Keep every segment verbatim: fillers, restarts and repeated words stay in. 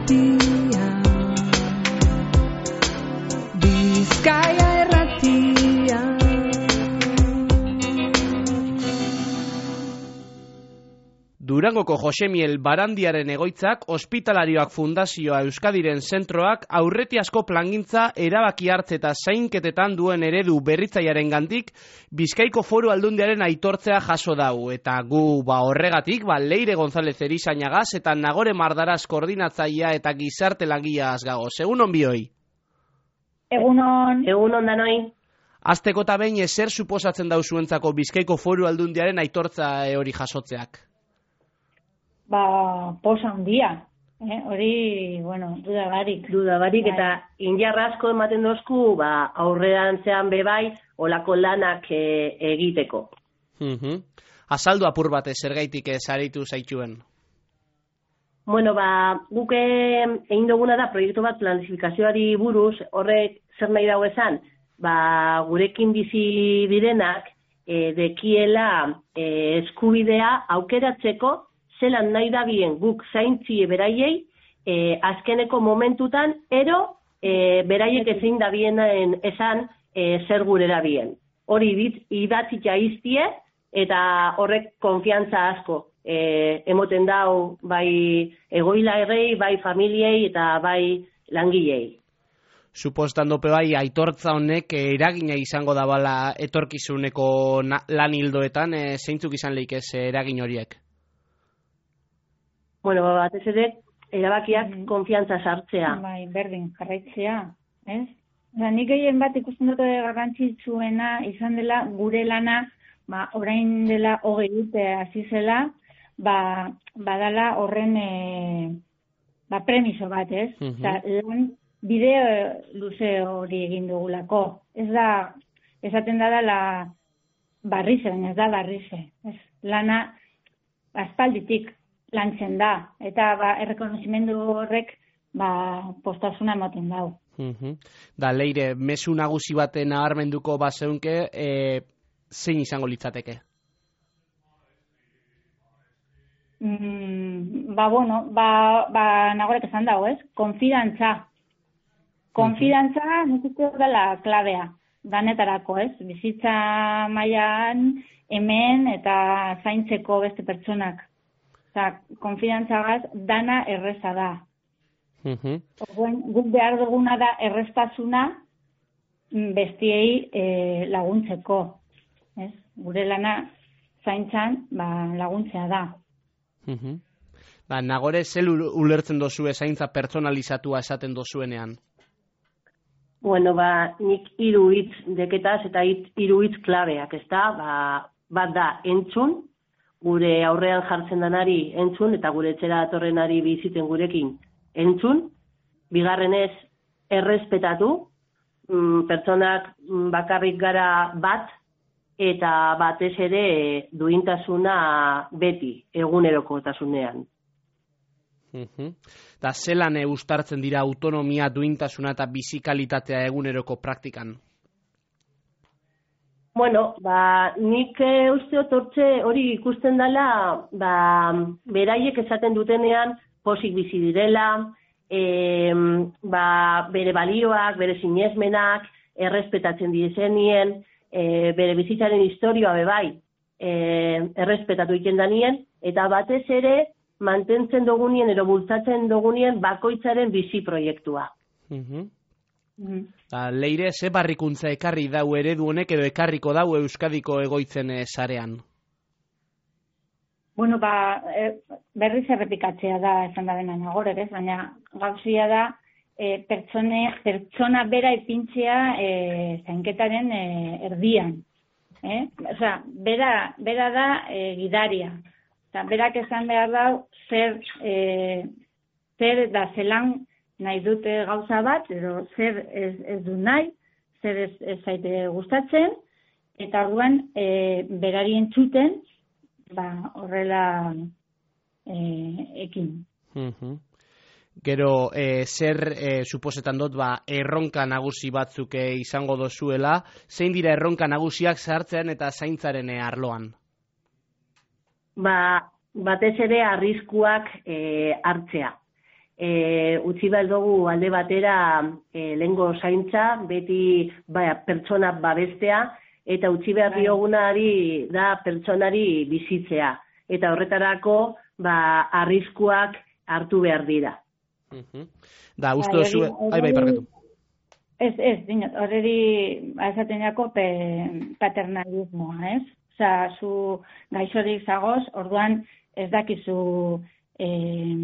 irratia, Bizkaia irratia. Durangoko Josemiel Barandiaren egoitzak, Ospitalarioak Fundazioa Euskadiren zentroak aurretiazko plangintza erabaki hartze eta zainketetan duen eredu berritzailearen gandik Bizkaiko Foru Aldundiaren aitortzea jaso dau. Eta gu ba horregatik, ba Leire González Erizainagaz eta Nagore Mardaraz koordinatzailea eta gizarte langileaz gagoz. Egunon bioi. Egunon. Egunon danoi. Azteko eta behin ezer suposatzen dau zuentzako Bizkaiko Foru Aldundiaren aitortza hori jasotzeak? Ba, posa handia, eh? Hori, bueno, dudabarik. Dudabarik, eta injarra asko ematen dozku, ba, aurrerantzean bebai, olako lanak e, egiteko. Uh-huh. Azaldu apur batez, zergaitik saritu zaituen? Bueno, ba, guk egin duguna da proiektu bat planifikazioari buruz, horrek zer nahi dago esan, ba, gurekin bizi direnak, e, dekiela e, eskubidea aukeratzeko, zelan nahi da bien guk zaintzie beraiei, e, azkeneko momentutan, ero e, beraiek ezin da bienen esan e, zer gurera bien. Hori idatzitza iztie, eta horrek konfiantza asko e, emoten dau bai egoila errei, bai familiei eta bai langilei. Supostan dope bai, aitortza honek eragina izango da bala etorkizuneko lan hildoetan, e, zeintzuk izan leik ez eragin horiek? Bueno, batez ere, erabakiak mm. konfiantza sartzea. Bai, berdin, jarraitzea, ez? Oda, nik egin bat ikusten dute garrantzitsuena izan dela gure lana, ba, orain dela hogei urte hasi zela, ba, badala horren e, ba, premiso bat, ez? Mm-hmm. Eta lan bideo luze hori egin dugulako. Ez da, esaten da dela barrize, baina ez da barrize. Ez? Lana aspalditik lantzen da, eta ba, errekonozimendu horrek ba, postasuna ematen dau. Uh-huh. Da, Leire, mezu nagusi baten nabarmenduko bazeunke, e, zein izango litzateke? Mm, ba, bueno, ba, ba nagorek esan dago, ez? Konfidantza. Konfidantza, uh-huh. nik uste dela klabea, danetarako, ez? Bizitza mailan hemen eta zaintzeko beste pertsonak. Eta, konfidantzagaz, dana erreza da. Uh-huh. Orduan, guk behar duguna da erreztasuna bestiei e, laguntzeko. Ez? Gure lana zaintzan ba, laguntzea da. Uh-huh. Ba, Nagore, zel ulertzen dozue zaintza pertsonalizatua esaten dozuenean? Bueno, ba, nik hiru hitz deketaz eta hiru hitz klabeak, ez da? Ba, bat da, entzun, gure aurrean jartzen danari entzun, eta gure etxera datorrenari biziten gurekin entzun. Bigarrenez, errespetatu, mm, pertsonak bakarrik gara bat, eta batez ere duintasuna beti, egunerokotasunean. Uh-huh. Da, zelan uztartzen dira autonomia, duintasuna eta bizikalitatea eguneroko praktikan? Bueno, ba, nik e, uste otortze hori ikusten dela, ba, beraiek esaten dutenean posik bizi direla, e, ba, bere balioak, bere sinesmenak, errespetatzen dizenien, e, bere bizitzaren historioa bebai, e, errespetatu egiten danien, eta batez ere mantentzen dugunien, ero bultzatzen dugunien bakoitzaren bizi proiektua. Uh-huh. Da, Leire, ze barrikuntza ekarri dau eredu honek edo ekarriko dau Euskadiko egoitzen sarean? Bueno, ba, e, berriz errepikatzea da esan da dena Nagorek, ez? Baina gauzia da e, pertsone, pertsona bera ipintzea e, zainketaren e, erdian. Eh? Osea, bera, bera da e, gidaria. Eta berak esan behar dau zer, e, zer da zelan nahi dute gauza bat, edo zer ez, ez du nahi, zer ez, ez zaite gustatzen, eta orduan e, berari entzuten, ba, horrela e, ekin. Uh-huh. Gero, e, zer e, suposetan dut, ba, erronka nagusi batzuk e, izango dozuela, zein dira erronka nagusiak sartzean eta zaintzaren e, arloan? Ba, batez ere arriskuak e, hartzea. e, utzi behar dugu alde batera e, lehengo zaintza, beti ba, pertsona babestea, eta utzi behar diogunari da pertsonari bizitzea. Eta horretarako ba, arriskuak hartu behar dira. Uh-huh. Da, uste dozu... Ai, bai, parketu. Ez, ez, dinot, horreri esaten jako pe, paternalismoa, ez? Osa, zu gaixorik zagoz, orduan ez dakizu eh,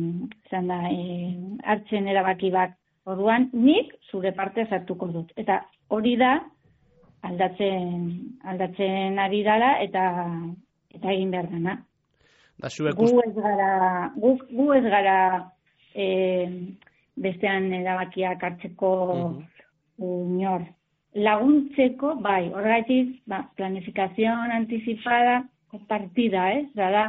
zanda, eh, hartzen erabaki bat. Orduan, nik zure parte zartuko dut. Eta hori da, aldatzen, aldatzen ari dala, eta, eta egin behar dena. Da, gu ez gara, gu, gu ez gara eh, bestean erabakiak hartzeko uh-huh. inor. Laguntzeko, bai, horregatik, ba, planificación anticipada partida, ez? Eh? Da,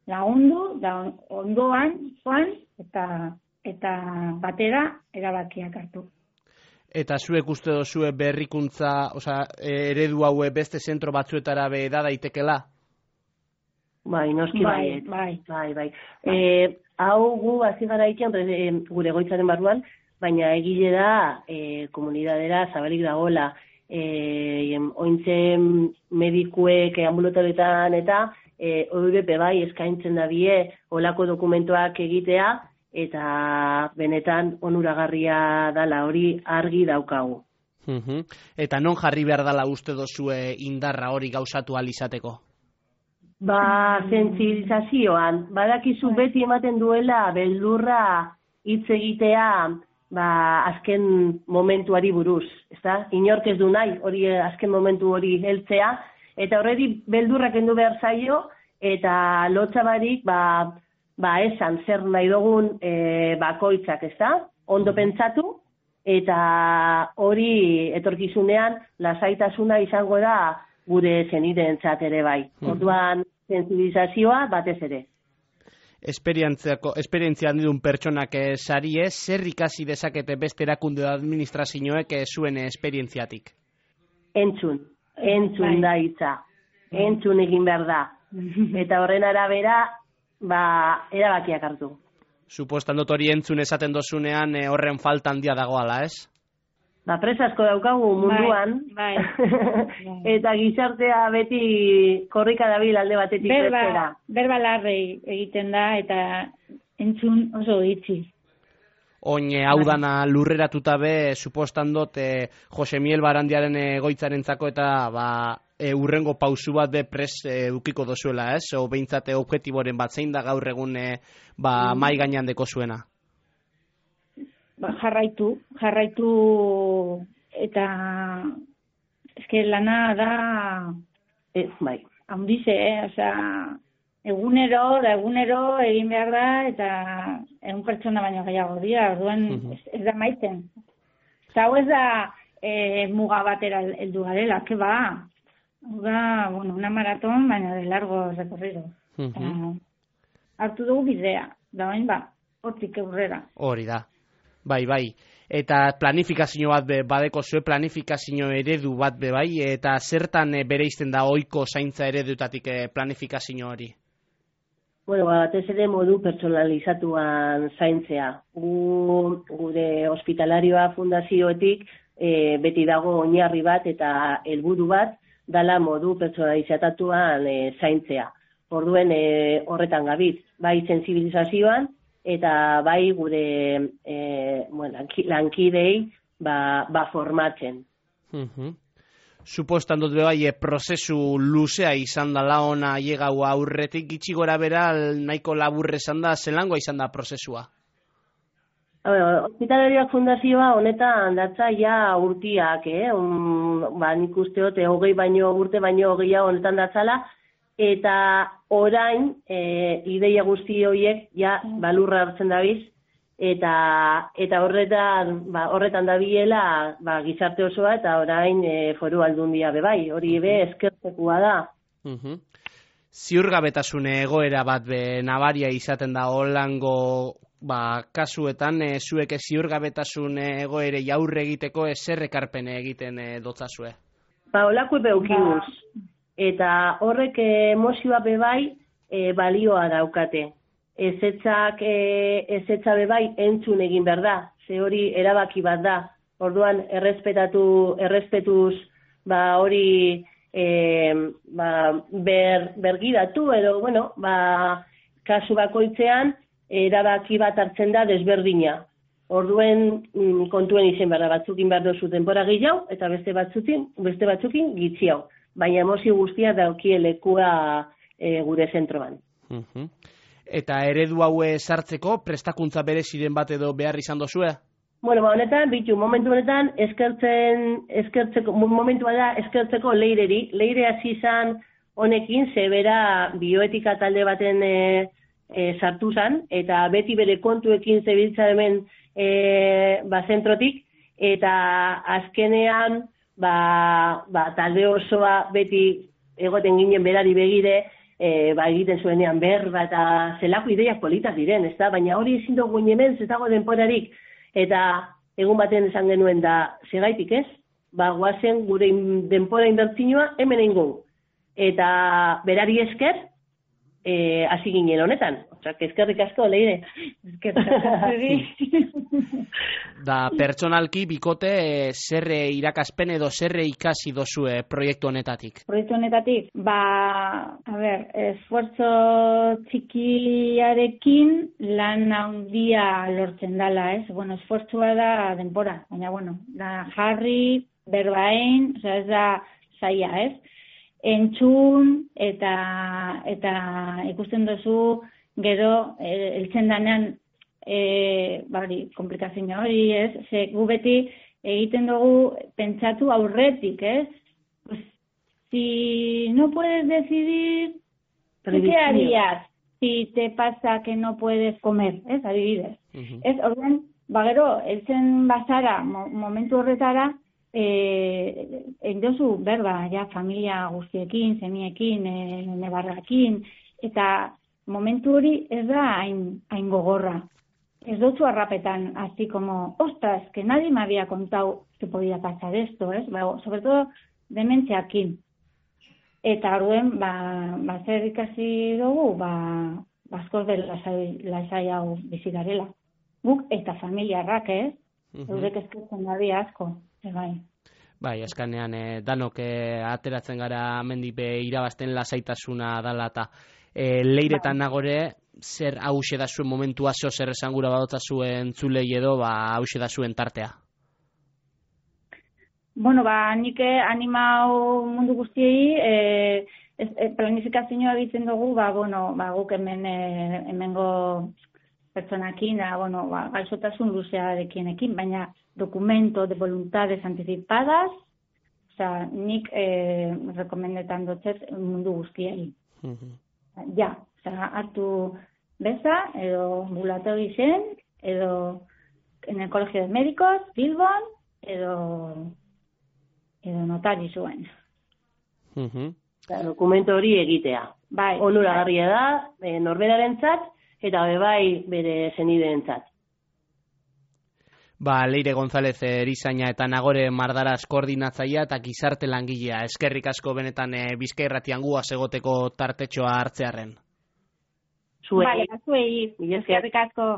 lagundu, da ondoan, joan, eta, eta batera erabakiak hartu. Eta zuek uste dozue berrikuntza, oza, eredu haue beste zentro batzuetara be da daitekela? Bai, noski bai, bai, bai, bai. E, hau gu hasi gara ikian, e, gure egoitzaren barruan, baina egile da e, komunidadera zabalik dagoela. E, ointzen medikuek ambulatoretan eta e, O B P bai eskaintzen da bie olako dokumentuak egitea, eta benetan onuragarria dala hori argi daukagu. Uh-huh. Eta non jarri behar dala uste dozue indarra hori gauzatu alizateko? Ba, sentsibilizazioan, badakizu beti ematen duela beldurra hitz egitea, ba, azken momentuari buruz, ezta? Inork ez du nahi, hori azken momentu hori heltzea, eta horredi beldurrak kendu behar zaio, eta lotza barik, ba, ba, esan zer nahi dugun e, bakoitzak, ezta? Ondo pentsatu, eta hori etorkizunean lasaitasuna izango da gure zenideentzat ere bai. Orduan, sensibilizazioa batez ere. Esperientzia handidun pertsonak sarie, zer ikasi dezakete beste erakunde administrazioek zuen esperientziatik? Entzun, entzun da hitza. Entzun egin behar da. Eta horren arabera, ba, erabakiak hartu. Supostan dut hori entzun esaten dozunean horren falta handia dagoala, ez? Ba, presasko daukagu munduan, bai, bai. Eta gizartea beti korrika dabil alde batetik berba, bestera. Berba larrei egiten da, eta entzun oso ditzi. Oin, hau dana lurreratuta be, supostan dut, eh, Jose Miel Barandiaren egoitzarentzako eta ba, e, urrengo pausu bat be pres e, ukiko dozuela, ez? O behintzate objektiboren bat zein da gaur egun e, ba, mm. mai gainean deko zuena? Ba, jarraitu, jarraitu eta eske lana da ez, bai. Handize, eh? Osea, egunero, da egunero egin behar da eta egun pertsona baino gehiago dira, orduan uh-huh. ez, ez da maiten. Eta hau ez da e, muga batera heldu garela, ke ba? Da, bueno, una maratón, baina de largo recorrido. Uh-huh. Hartu dugu bidea, da bain ba, hortik aurrera. Hori da. Bai, bai. Eta planifikazio bat be, badeko zue planifikazio eredu bat be bai, eta zertan e, bereizten da ohiko zaintza eredutatik e, planifikazio hori? Bueno, batez ere modu pertsonalizatuan zaintzea. Gu, gure hospitalarioa fundazioetik e, beti dago oinarri bat eta helburu bat dala modu pertsonalizatuan e, zaintzea. Orduen e, horretan gabiz, bai sensibilizazioan, eta bai gure e, bueno, lankidei ba, ba formatzen. Uh-huh. Supostan dut bai, e, prozesu luzea izan da laona llegau aurretik gitxi gora bera nahiko laburre izan da, zelangoa izan da prozesua? Hospitalariak fundazioa honetan datza ja urtiak, eh? Um, ba, nik usteot, hogei baino urte baino gehiago honetan datzala, eta orain e, ideia guzti horiek ja balurra hartzen dabiz, eta eta horretan ba, horretan dabilela ba, gizarte osoa eta orain e, foru aldundia be bai, hori be eskertzekoa da. Uh-huh. Ziurgabetasune egoera bat be nabaria izaten da holango ba, kasuetan, e, zuek ziurgabetasune egoere jaurre egiteko zer ekarpene egiten e, dotzazue? Ba, holako beukimuz. Eta horrek emozioa bebai e, balioa daukate. ezetzak, e, ezetza bebai entzun egin behar da, ze hori erabaki bat da. Orduan, errespetatu, errespetuz, ba, hori e, ba, ber, bergidatu, edo, bueno, ba, kasu bakoitzean, erabaki bat hartzen da desberdina. Orduen kontuen izen behar da, batzukin behar dozu denbora gehiago, eta beste batzukin, beste batzukin gitxiago. Baina emozio guztia daukie lekua e, gure zentroan. Uh-huh. Eta eredu haue sartzeko, prestakuntza bereziren bat edo behar izan dozue? Bueno, ba, honetan, bitu, momentu honetan, eskertzen, eskertzeko, momentua da eskertzeko leireri. Leire hasi izan honekin, zebera bioetika talde baten e, e, sartu zan, eta beti bere kontuekin zebiltza hemen e, ba, zentrotik, eta azkenean, ba, ba, talde osoa beti egoten ginen berari begire, e, ba, egiten zuenean berba, eta zelako ideiak politak diren, ez da? Baina hori ezin dugu hemen, ez dago denporarik, eta egun baten esan genuen da, segaitik ez? Ba, guazen gure denpora inbertzinua hemen egingo. Eta berari esker, e, hasi ginen honetan. Osak, eskerrik asko, Leire. Eskerrik asko. Da, pertsonalki, bikote, e, zerre irakaspen edo zerre ikasi dozue proiektu honetatik? Proiektu honetatik, ba, a ber, esfuerzo txikiarekin lan handia lortzen dala, ez? Bueno, esfuerzoa da denbora, baina, bueno, da jarri, berbain, oza, ez da zaila, ez? Entzun eta eta ikusten duzu gero heltzen danean e, bari, komplikazio hori, ez? Ze gu beti egiten dugu pentsatu aurretik, ez? Pues, si no puedes decidir, ¿qué harías si te pasa que no puedes comer, ez? Adibidez. Uh-huh. Ez, orduan, ba gero, heltzen bazara, mo, momentu horretara, Eh, endozu berba, ja, familia guztiekin, zemiekin, e, nebarrakin, eta momentu hori ez da hain, hain gogorra. Ez dutzu arrapetan, así como, ostras, que nadie me había contado que podía pasar esto, ¿es? Ba, sobre todo, dementziakin. Eta orduen, ba, ba, zer ikasi dugu, ba, baskoz bel lasai hau bizi garela. Guk eta familiarrak, ez? Uh-huh. Eurek eskertzen dabi asko. Bai. Bai, eskanean eh, danok eh, ateratzen gara mendipe irabazten lasaitasuna dala eta eh, leiretan bai. Nagore, zer hause da zuen momentua, zo zer esangura badotza zuen zulei edo, ba, hause da zuen tartea? Bueno, ba, nik animau mundu guztiei, eh, eh, planifikazioa egiten dugu, ba, bueno, ba, guk hemen, eh, hemengo pertsonakin, da, bueno, ba, gaixotasun luzearekin, baina documento de voluntades anticipadas, o sea, nik eh, rekomendetan dotzet mundu guztiei. Uh-huh. Ja, o sea, hartu beza, edo ambulatori zen, edo en el Colegio de Médicos, Bilbon, edo, edo notari zuen. Uh-huh. Dokumento hori egitea. Bai. Onuragarria da, e, norberarentzat, eta bai bere senideentzat. Ba, Leire González erizaina eta Nagore Mardaraz koordinatzailea eta gizarte langilea. Eskerrik asko benetan e, Bizkai Irratian guaz egoteko tartetxoa hartzearren. Zuei. Vale, zuei. Eskerrik asko.